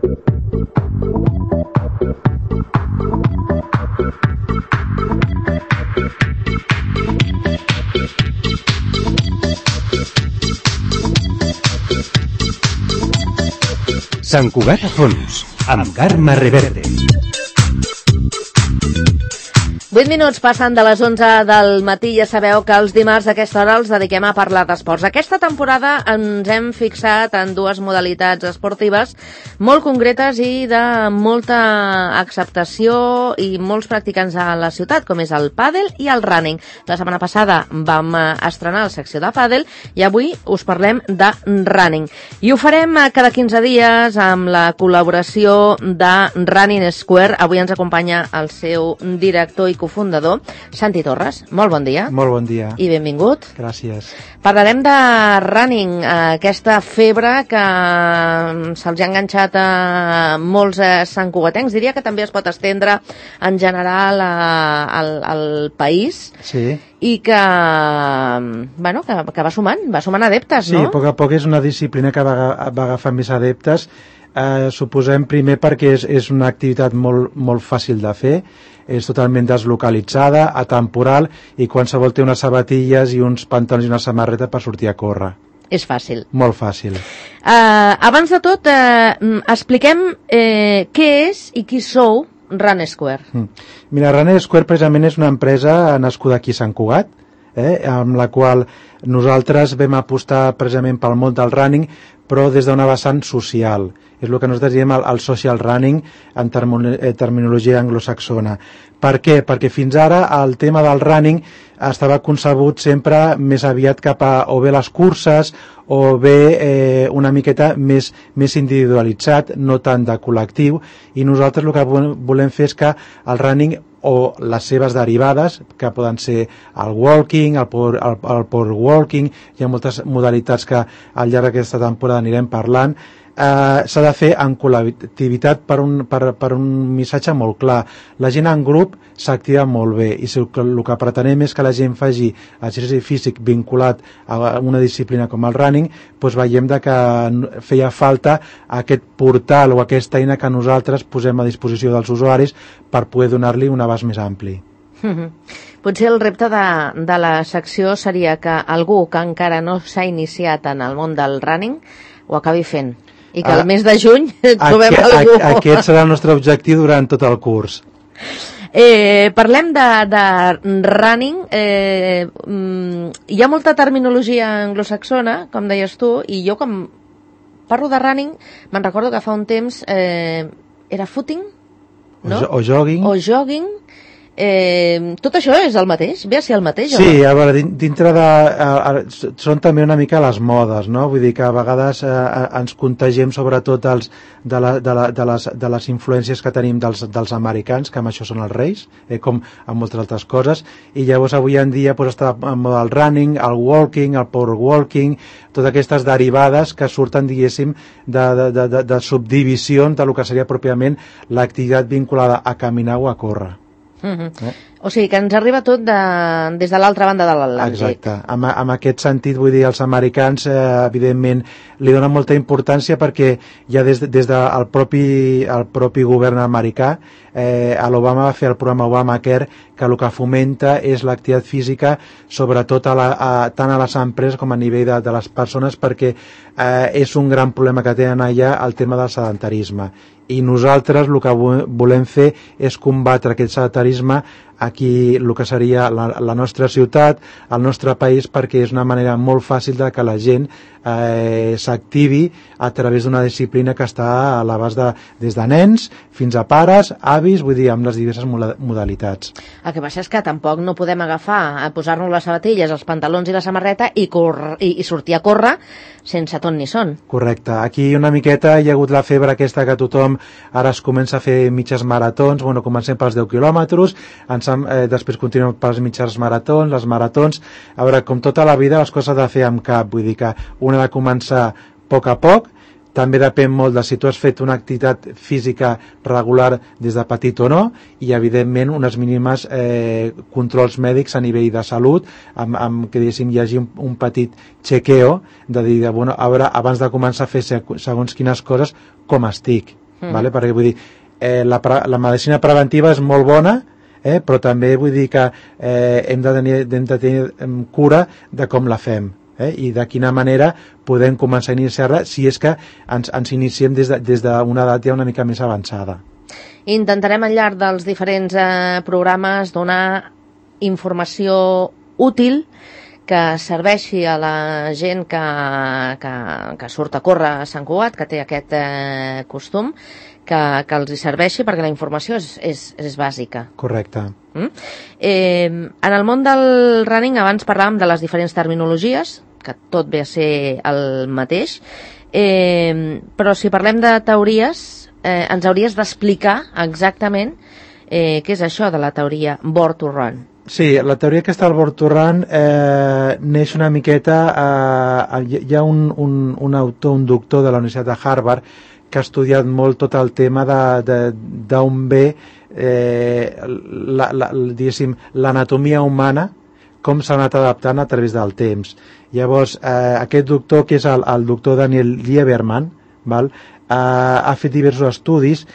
Sant Cugat a fons, amb Carme Reverte. 8 minuts passen de les 11 del matí. Ja sabeu que els dimarts a aquesta hora els dediquem a parlar d'esports. Aquesta temporada ens hem fixat en dues modalitats esportives molt concretes i de molta acceptació i molts practicants a la ciutat, com és el pàdel i el running. La setmana passada vam estrenar la secció de pàdel i avui us parlem de running. I ho farem cada 15 dies amb la col·laboració de Running Square. Avui ens acompanya el seu director i cofundador, Santi Torres. Molt bon dia. Molt bon dia. I benvingut. Gràcies. Parlarem de running, aquesta febre que se'ls ha enganxat a molts santcugatencs. Diria que també es pot estendre en general al país. Sí. I que va sumant adeptes, no? Sí, a poc és una disciplina que va agafar més adeptes. Suposem primer perquè és una activitat molt fàcil de fer, és totalment deslocalitzada, atemporal, i qualsevol té unes sabatilles i uns pantalons i una samarreta per sortir a córrer. És fàcil. Molt fàcil. Abans de tot, expliquem què és i qui sou Running Square. Mira, Running Square precisament és una empresa nascuda aquí a Sant Cugat, amb la qual nosaltres vam apostar precisament pel món del running, però des d'una vessant social. És el que nosaltres diem el social running en terminologia anglosaxona. Per què? Perquè fins ara el tema del running estava concebut sempre més aviat cap a o bé les curses o bé una miqueta més individualitzat, no tant de col·lectiu, i nosaltres el que volem fer és que el running o les seves derivades, que poden ser el walking, el power walking, hi ha moltes modalitats que al llarg d'aquesta temporada anirem parlant, s'ha de fer en col·lectivitat per un missatge molt clar. La gent en grup s'activa molt bé i el que pretenem és que la gent faci exercici físic vinculat a una disciplina com el running, doncs veiem que feia falta aquest portal o aquesta eina que nosaltres posem a disposició dels usuaris per poder donar-li un abast més ampli. Potser el repte de la secció seria que algú que encara no s'ha iniciat en el món del running ho acabi fent i que al mes de juny trobem algú. Aquest serà el nostre objectiu durant tot el curs. Parlem de running. Hi ha molta terminologia anglosaxona, com deies tu, i jo quan parlo de running me'n recordo que fa un temps era footing, no? O jogging. Tot això és el mateix? Ve a ser el mateix? Sí, a veure, dintre són també una mica les modes, no? Vull dir que a vegades ens contagiem sobretot de les influències que tenim dels americans, que amb això són els reis, com amb moltes altres coses, i llavors avui en dia està en moda el running, el walking, el power walking, totes aquestes derivades que surten, diguéssim, de subdivisions del que seria pròpiament l'activitat vinculada a caminar o a córrer. O sigui que ens arriba tot des de l'altra banda de l'Atlàntic. Exacte, en aquest sentit vull dir, els americans evidentment li donen molta importància perquè ja des del propi govern americà, l'Obama va fer el programa Obamacare, que el que fomenta és l'activitat física sobretot tant a les empreses com a nivell de les persones, perquè és un gran problema que tenen allà el tema del sedentarisme, i nosaltres el que volem fer és combatre aquest sedentarisme aquí, el que seria la nostra ciutat, el nostre país, perquè és una manera molt fàcil de que la gent s'activi a través d'una disciplina que està a l'abast des de nens fins a pares, avis, vull dir, amb les diverses modalitats. El que passa és que tampoc no podem agafar, posar-nos les sabatilles, els pantalons i la samarreta i sortir a córrer sense ton ni son. Correcte. Aquí una miqueta hi ha hagut la febre aquesta que tothom ara es comença a fer mitges maratons, comencem pels 10 quilòmetres, després continuem pels mitjans maratons, les maratons. A veure, com tota la vida les coses de fer amb cap, vull dir que una ha de començar a poc, també depèn molt de si tu has fet una activitat física regular des de petit o no, i evidentment unes mínimes controls mèdics a nivell de salut, amb que diguéssim hi hagi un petit chequeo de dir, a veure, abans de començar a fer segons quines coses, com estic. vale? Perquè vull dir, la medicina preventiva és molt bona, però també vull dir que hem de tenir cura de com la fem. I de quina manera podem començar a iniciar-la si és que ens iniciem des d'una edat ja una mica més avançada. Intentarem al llarg dels diferents programes donar informació útil que serveixi a la gent que surt a córrer a Sant Cugat, que té aquest costum, que els hi serveixi perquè la informació és bàsica. Correcte. En el món del running abans parlàvem de les diferents terminologies, que tot ve a ser el mateix, però si parlem de teories, ens hauries d'explicar exactament què és això de la teoria Born to Run. Sí, la teoria aquesta del Born to Run neix una miqueta... Hi ha un autor, un doctor de la Universitat de Harvard que ha estudiat molt tot el tema d'on ve l'anatomia humana, com s'ha anat adaptant a través del temps. Llavors, aquest doctor, que és el doctor Daniel Lieberman, ha fet diversos estudis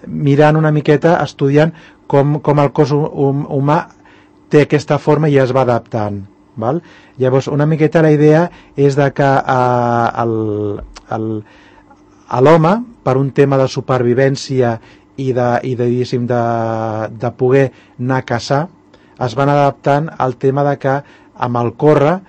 mirant una miqueta, estudiant com el cos humà té aquesta forma i es va adaptant. Llavors, una miqueta la idea és de que l'home, per un tema de supervivència i de poder anar a caçar, es van adaptant al tema de que amb el córrer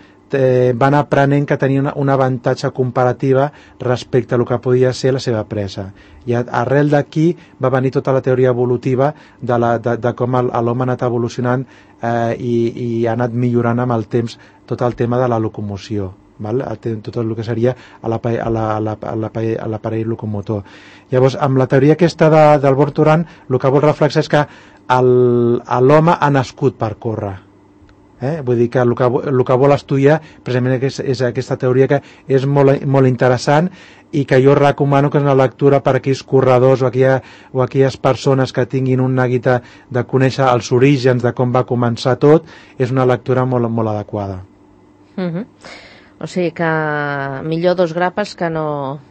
van aprenent que tenien un avantatge comparativa respecte a el que podia ser la seva presa. I arrel d'aquí va venir tota la teoria evolutiva de com l'home ha anat evolucionant i ha anat millorant amb el temps tot el tema de la locomoció. Tot el que seria l'aparell locomotor. Llavors, amb la teoria aquesta del Born to Run, el que vol reflexar és que l'home ha nascut per córrer. Vull dir que el que vol estudiar precisament és aquesta teoria, que és molt interessant i que jo recomano que és una lectura per a aquells corredors o aquelles persones que tinguin una guita de conèixer els orígens de com va començar tot. És una lectura molt, molt adequada. O sigui que millor 2 grapes que no...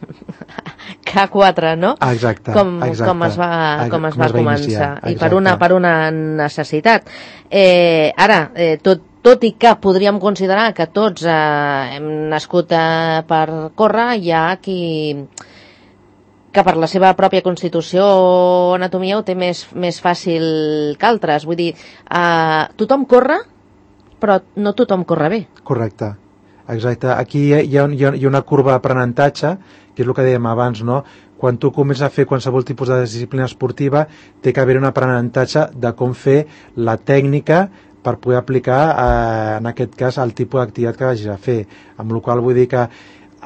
que 4, no? Exacte. Com es va començar. I per una necessitat. Ara, tot i que podríem considerar que tots hem nascut per córrer, hi ha qui que per la seva pròpia constitució o anatomia ho té més fàcil que altres. Vull dir, tothom corre, però no tothom corre bé. Correcte. Exacte. Aquí hi ha una curva d'aprenentatge, que és el que dèiem abans, no? Quan tu comences a fer qualsevol tipus de disciplina esportiva, té que haver un aprenentatge de com fer la tècnica per poder aplicar, en aquest cas, el tipus d'activitat que vagis a fer. Amb la qual vull dir que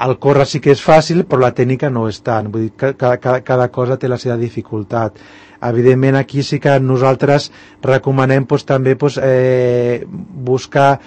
el córrer sí que és fàcil, però la tècnica no és tant. Vull dir que cada cosa té la seva dificultat. Evidentment, aquí sí que nosaltres recomanem també buscar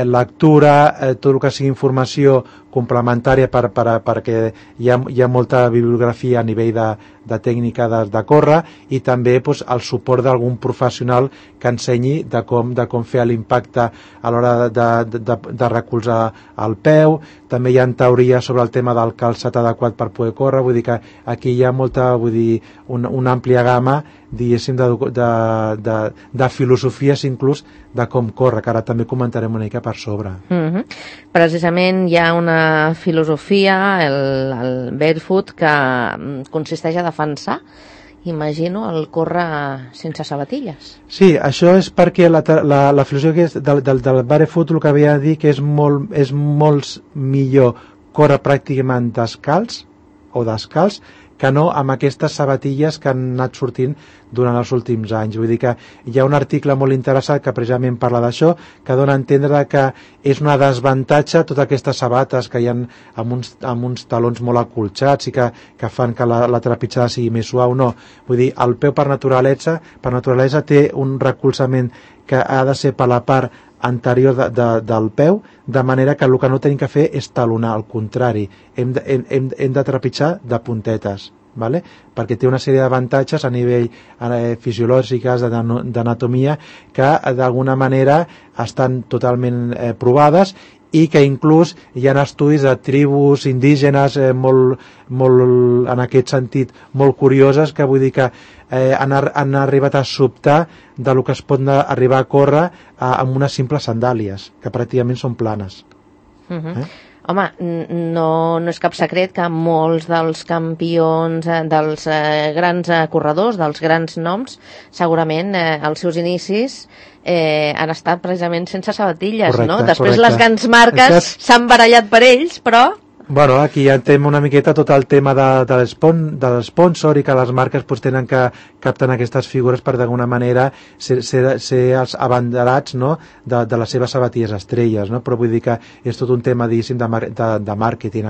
lectura, tot el que sigui informació complementària perquè hi ha molta bibliografia a nivell de tècnica de córrer, i també el suport d'algun professional que ensenyi de com fer l'impacte a l'hora de recolzar el peu. També hi ha teories sobre el tema del calçat adequat per poder córrer. Vull dir que aquí hi ha una àmplia gamma, diguéssim, de filosofies inclús de com córrer, que ara també comentarem una mica per sobre. Precisament hi ha una filosofia, el barefoot, que consisteix a defensar, imagino, el córrer sense sabatilles. Sí, això és perquè la filosofia del barefoot el que havia de dir que és molt millor córrer pràcticament descalç que no amb aquestes sabatilles que han anat sortint durant els últims anys. Vull dir que hi ha un article molt interessant que precisament parla d'això, que dona a entendre que és una desavantatge totes aquestes sabates que hi ha amb uns talons molt acolxats i que fan que la trepitjada sigui més suau. No, vull dir, el peu per naturalesa té un recolzament que ha de ser per la part anterior del peu, de manera que el que no tenim que fer és talonar, al contrari, hem de trepitjar de puntetes, perquè té una sèrie d'avantatges a nivell fisiològics, d'anatomia, que d'alguna manera estan totalment provades, i que inclús hi ha estudis de tribus indígenes molt, en aquest sentit, molt curioses, que vull dir que han arribat a sobtar de lo que es pot arribar a córrer amb unes simples sandàlies, que pràcticament són planes. Home, no és cap secret que molts dels campions, dels grans corredors, dels grans noms, segurament els seus inicis han estat precisament sense sabatilles, no? Després les grans marques s'han barallat per ells, però... Bueno, aquí ja entenem una miqueta tot el tema de l'esponsor i que les marques tenen que captar aquestes figures per d'alguna manera ser els abanderats, no? de les seves sabatilles estrelles, no? Però vull dir que és tot un tema, diguéssim, de màrqueting.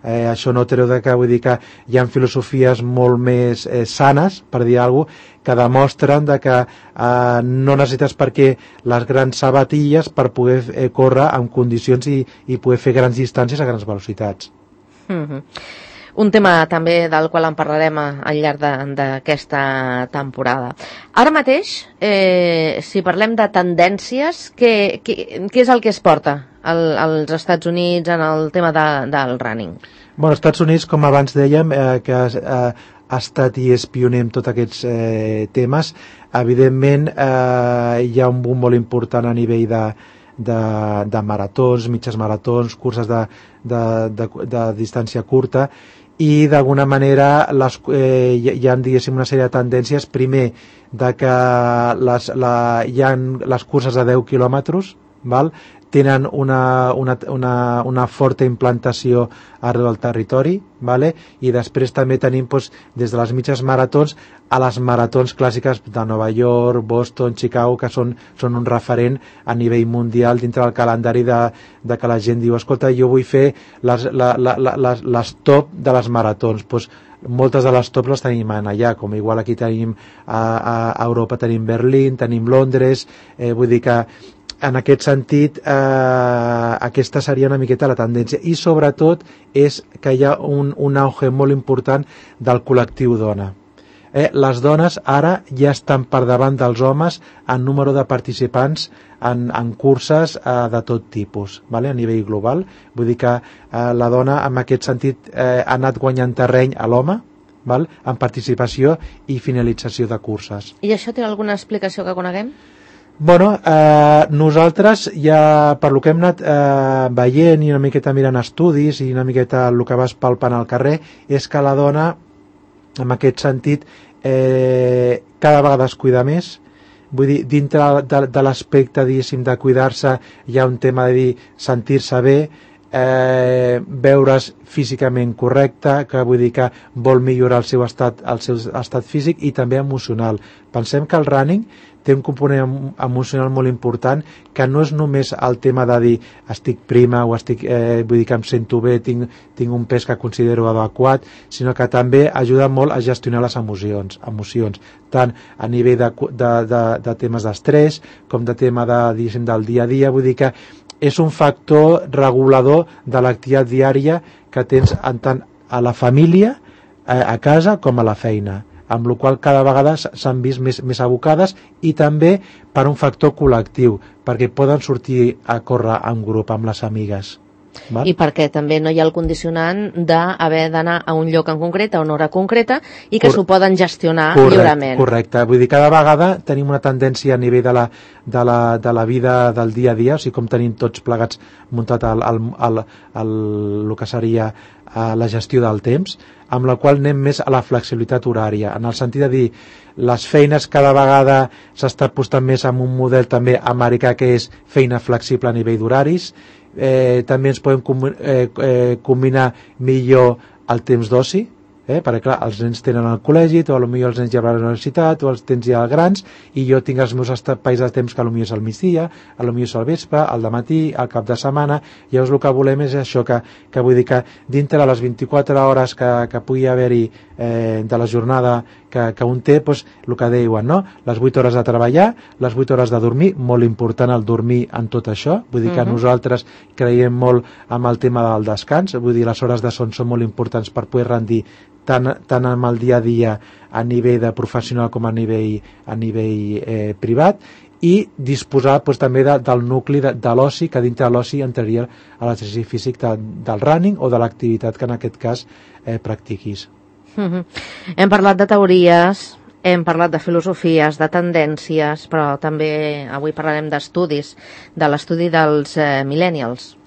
Això no treu que vull dir que hi ha filosofies molt més sanes, per dir alguna cosa, que demostren que no necessites perquè les grans sabatilles per poder córrer en condicions i poder fer grans distàncies a grans velocitats. Un tema també del qual en parlarem al llarg d'aquesta temporada. Ara mateix, si parlem de tendències, què és el que es porta als Estats Units en el tema del running? Bueno, als Estats Units, com abans dèiem, que ha estat i és pioner en tots aquests temes, evidentment hi ha un boom molt important a nivell de maratons, mitges maratons, curses de distància curta, i d'alguna manera hi ha, diguéssim, una sèrie de tendències. Primer, de que hi ha les curses de 10 quilòmetres, val? Tenen una forta implantació arreu del territori, vale? I després també tenim des de les mitges maratons a les maratons clàssiques de Nova York, Boston, Chicago, que són un referent a nivell mundial dintre del calendari de que la gent diu, escolta, jo vull fer les top de les maratons. Moltes de les tops les tenim allà, com igual aquí tenim a Europa, tenim Berlín, tenim Londres, vull dir que en aquest sentit aquesta seria una miqueta la tendència, i sobretot és que hi ha un auge molt important del col·lectiu dona. Les dones ara ja estan per davant dels homes en número de participants en curses de tot tipus, vale? A nivell global. Vull dir que la dona en aquest sentit ha anat guanyant terreny a l'home, val? En participació i finalització de curses. I això té alguna explicació que coneguem? Bueno, nosaltres ja, per lo que hem anat veient i una miqueta mirant estudis i una miqueta el que vas palpant al carrer, és que la dona, en aquest sentit, cada vegada es cuida més. Vull dir, dintre de l'aspecte, diguéssim, de cuidar-se, hi ha un tema de dir sentir-se bé, veure's físicament correcte, que vull dir que vol millorar el seu estat físic i també emocional. Pensem que el running té un component emocional molt important, que no és només el tema de dir estic prima o vull dir que em sento bé, tinc un pes que considero adequat, sinó que també ajuda molt a gestionar les emocions, tant a nivell de temes d'estrès com de tema del dia a dia. Vull dir que és un factor regulador de l'activitat diària que tens tant a la família, a casa, com a la feina, amb la qual cada vegada s'han vist més abocades, i també per un factor col·lectiu, perquè poden sortir a córrer en grup amb les amigues. Val? I perquè també no hi ha el condicionant d'haver d'anar a un lloc en concret, a una hora concreta, i que s'ho poden gestionar lliurement. Correcte, vull dir, cada vegada tenim una tendència a nivell de la vida del dia a dia, o sigui, com tenim tots plegats muntat el que seria la gestió del temps, amb la qual anem més a la flexibilitat horària, en el sentit de dir, les feines cada vegada s'està apostant més en un model també americà, que és feina flexible a nivell d'horaris. També ens podem combinar millor el temps d'oci, perquè clar, els nens tenen el col·legi, o potser els nens ja van a la universitat, o els tens ja grans, i jo tinc els meus espais de temps que potser és al migdia, potser és al vespre, al dematí, al cap de setmana. Llavors el que volem és això, que vull dir que dintre de les 24 hores que pugui haver-hi de la jornada que un té, doncs, el que diuen, no? Les 8 hores de treballar, les 8 hores de dormir, molt important el dormir en tot això. Vull dir que nosaltres creiem molt amb el tema del descans, vull dir, les hores de son són molt importants per poder rendir tant amb el dia a dia a nivell de professional com a nivell privat, i disposar també del nucli de l'oci, que dintre de l'oci entraria a l'exercici físic del running o de l'activitat que en aquest cas practiquis. Hem parlat de teories, hem parlat de filosofies, de tendències, però també avui parlarem d'estudis, de l'estudi dels millennials.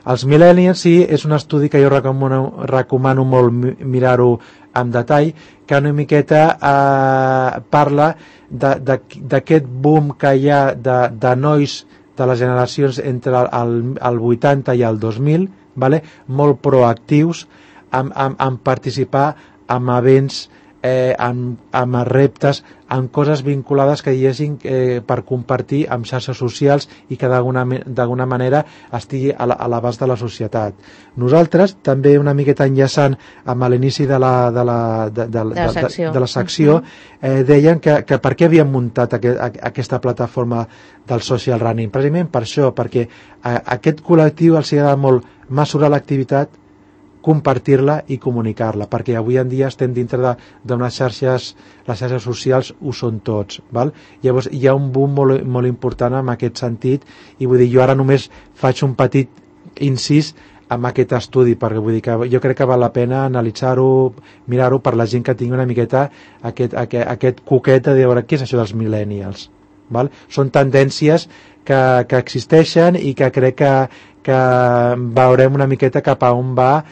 Els millennials, sí, és un estudi que jo recomano molt mirar-ho en detall, que una miqueta parla d'aquest boom que hi ha de nois de les generacions entre el 80 i el 2000, molt proactius en participar en events, amb reptes, amb coses vinculades que hi hagin per compartir amb xarxes socials i que d'alguna manera estigui a l'abast de la societat. Nosaltres, també una miqueta enllaçant amb l'inici de la secció, deien que per què havien muntat aquesta plataforma del social running? Precisament per això, perquè a aquest col·lectiu els agrada molt mesurar l'activitat, compartir-la i comunicar-la, perquè avui en dia estem dintre d'unes xarxes, les xarxes socials ho són tots, val? Llavors hi ha un boom molt important en aquest sentit, i vull dir, jo ara només faig un petit incís amb aquest estudi, perquè vull dir que jo crec que val la pena analitzar-ho, mirar-ho per la gent que tingui una miqueta aquest coquet de veure què és això dels millennials, val? Són tendències que existeixen i que crec que veurem una miqueta cap a on va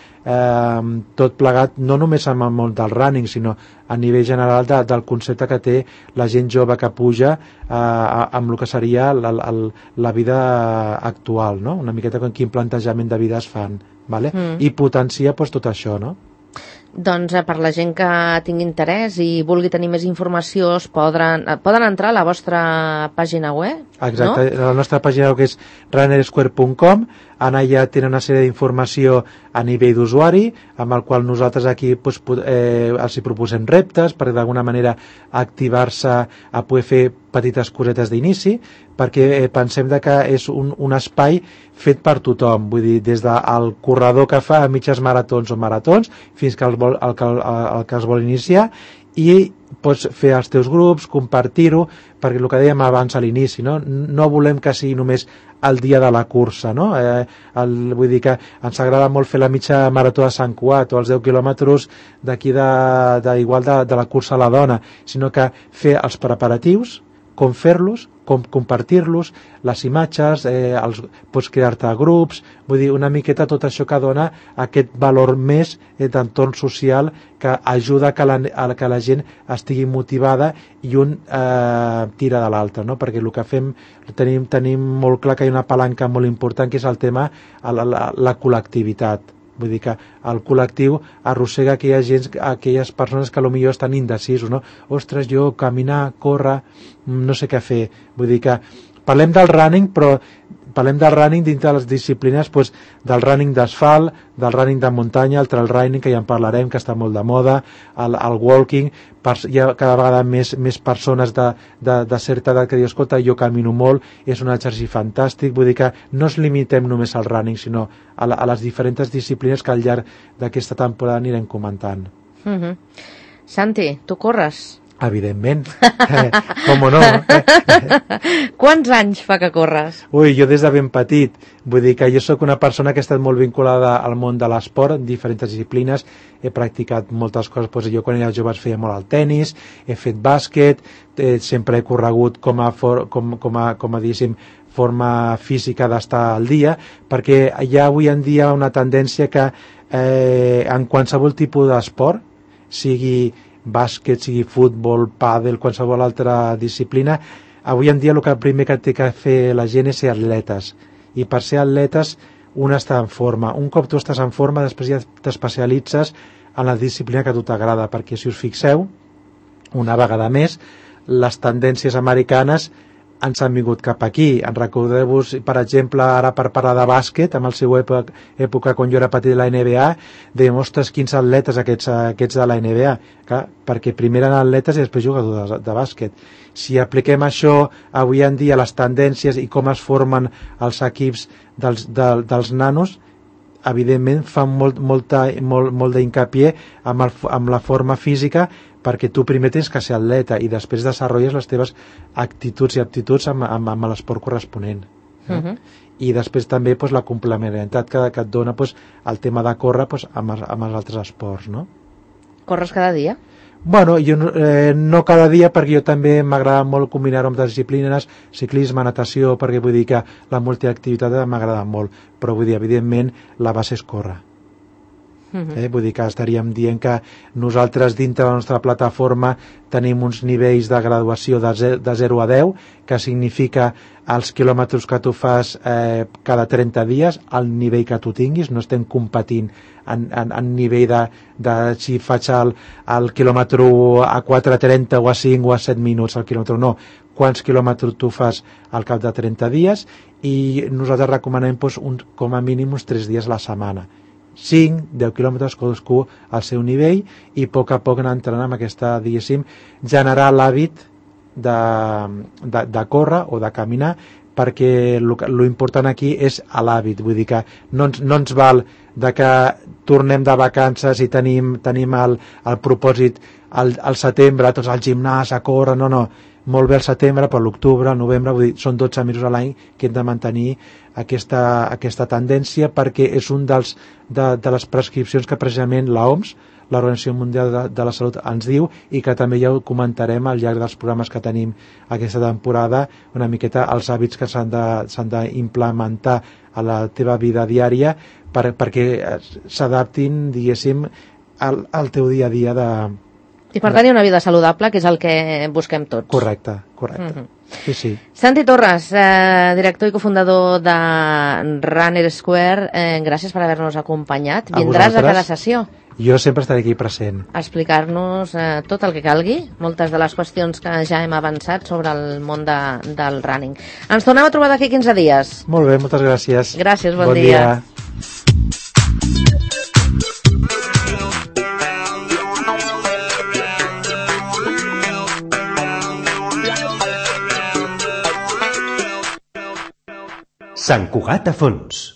tot plegat, no només amb el món del running, sinó a nivell general del concepte que té la gent jove que puja amb el que seria la vida actual, no? Una miqueta com quin plantejament de vida es fan, vale? I potencia tot això, no? Doncs per la gent que tingui interès i vulgui tenir més informació, poden entrar a la vostra pàgina web, exacte, no? La nostra pàgina web és runnersquare.com. Allà tenen una sèrie d'informació a nivell d'usuari, amb el qual nosaltres aquí els proposem reptes per d'alguna manera activar-se a poder fer petites cosetes d'inici, perquè pensem que és un espai fet per tothom, vull dir, des del corredor que fa mitges maratons o maratons fins que el que es vol iniciar, i pots fer els teus grups, compartir-ho, perquè el que dèiem abans a l'inici, no volem que sigui només el dia de la cursa, no? Vull dir que ens agrada molt fer la mitja marató de Sant Cugat o els 10 quilòmetres d'aquí igual de la cursa a la dona, sinó que fer els preparatius, com fer-los, com compartir-los, les imatges, pots crear-te grups, vull dir, una miqueta tot això que dona aquest valor més d'entorn social que ajuda que la gent estigui motivada i un tira de l'altre, no? Perquè el que fem, tenim molt clar que hi ha una palanca molt important, que és el tema la col·lectivitat. Vull dir que el col·lectiu arrossega aquelles persones que potser estan indecisos, no? Ostres, jo caminar, córrer, no sé què fer. Vull dir que parlem del running, però parlem del running dintre de les disciplines, del running d'asfalt, del running de muntanya, el trail running, que ja en parlarem, que està molt de moda, el walking, hi ha cada vegada més persones de certa edat que diuen, escolta, jo camino molt, és un exercici fantàstic, vull dir que no ens limitem només al running, sinó a les diferents disciplines que al llarg d'aquesta temporada anirem comentant. Santi, tu corres? Evidentment, com no? Quants anys fa que corres? Ui, jo des de ben petit, vull dir que jo sóc una persona que ha estat molt vinculada al món de l'esport, en diferents disciplines, he practicat moltes coses, jo quan era jove feia molt el tennis, he fet bàsquet, sempre he corregut com a diguéssim, forma física d'estar al dia, perquè hi ha avui en dia una tendència que en qualsevol tipus d'esport, sigui bàsquet, sigui futbol, pàdel, qualsevol altra disciplina, avui en dia el primer que té que fer la gent és ser atletes, i per ser atletes un està en forma. Un cop tu estàs en forma, després ja t'especialitzes en la disciplina que a tu t'agrada, perquè si us fixeu, una vegada més, les tendències americanes ens han vingut cap aquí. En recordeu-vos, per exemple, ara per parlar de bàsquet, amb el seu època quan jo era petit de la NBA, dèiem, ostres, quins atletes aquests de la NBA, clar, perquè primer eren atletes i després jugadors de bàsquet. Si apliquem això avui en dia, les tendències i com es formen els equips dels nanos, evidentment fan molt d'incapié amb la forma física, perquè tu primer tens que ser atleta i després desenvolupes les teves actituds i aptituds amb l'esport corresponent. I després també la complementarietat que et dona el tema de córrer amb els altres esports, no? Corres cada dia? Bueno, jo no cada dia, perquè jo també m'agrada molt combinar-ho amb disciplines, ciclisme, natació, perquè vull dir que la multiactivitat m'agrada molt, però vull dir, evidentment, la base és córrer. Vull dir que estaríem dient que nosaltres dintre de la nostra plataforma tenim uns nivells de graduació de 0 a 10, que significa els quilòmetres que tu fas cada 30 dies, el nivell que tu tinguis. No estem competint en nivell de si faig el quilòmetre a 4:30 o a 5 o a 7 minuts al quilòmetre, no, quants quilòmetres tu fas al cap de 30 dies, i nosaltres recomanem com a mínim uns 3 dies a la setmana, 5-10 quilòmetres cadascú al seu nivell, i a poc anar entrant amb aquesta, diguéssim, generar l'hàbit de córrer o de caminar, perquè lo important aquí és l'hàbit. Vull dir que no ens val de que tornem de vacances i tenim el propòsit al setembre, tots al gimnàs, a córrer, no. Molt bé al setembre, però l'octubre, al novembre, vull dir, són 12 mesos a l'any que hem de mantenir aquesta tendència, perquè és un de les prescripcions que precisament l'OMS, l'Organització Mundial de la Salut, ens diu, i que també ja ho comentarem al llarg dels programes que tenim aquesta temporada, una miqueta els hàbits que s'han d'implementar a la teva vida diària perquè s'adaptin, diguéssim, al teu dia a dia i per tenir una vida saludable, que és el que busquem tots. Correcte. Sí. Santi Torres, director i cofundador de Runner Square, gràcies per haver-nos acompanyat. Vindràs a cada sessió? Jo sempre estaré aquí present. A explicar-nos tot el que calgui, moltes de les qüestions que ja hem avançat sobre el món del running. Ens tornem a trobar d'aquí 15 dies. Molt bé, moltes gràcies. Gràcies, bon dia. Sant Cugat a fons.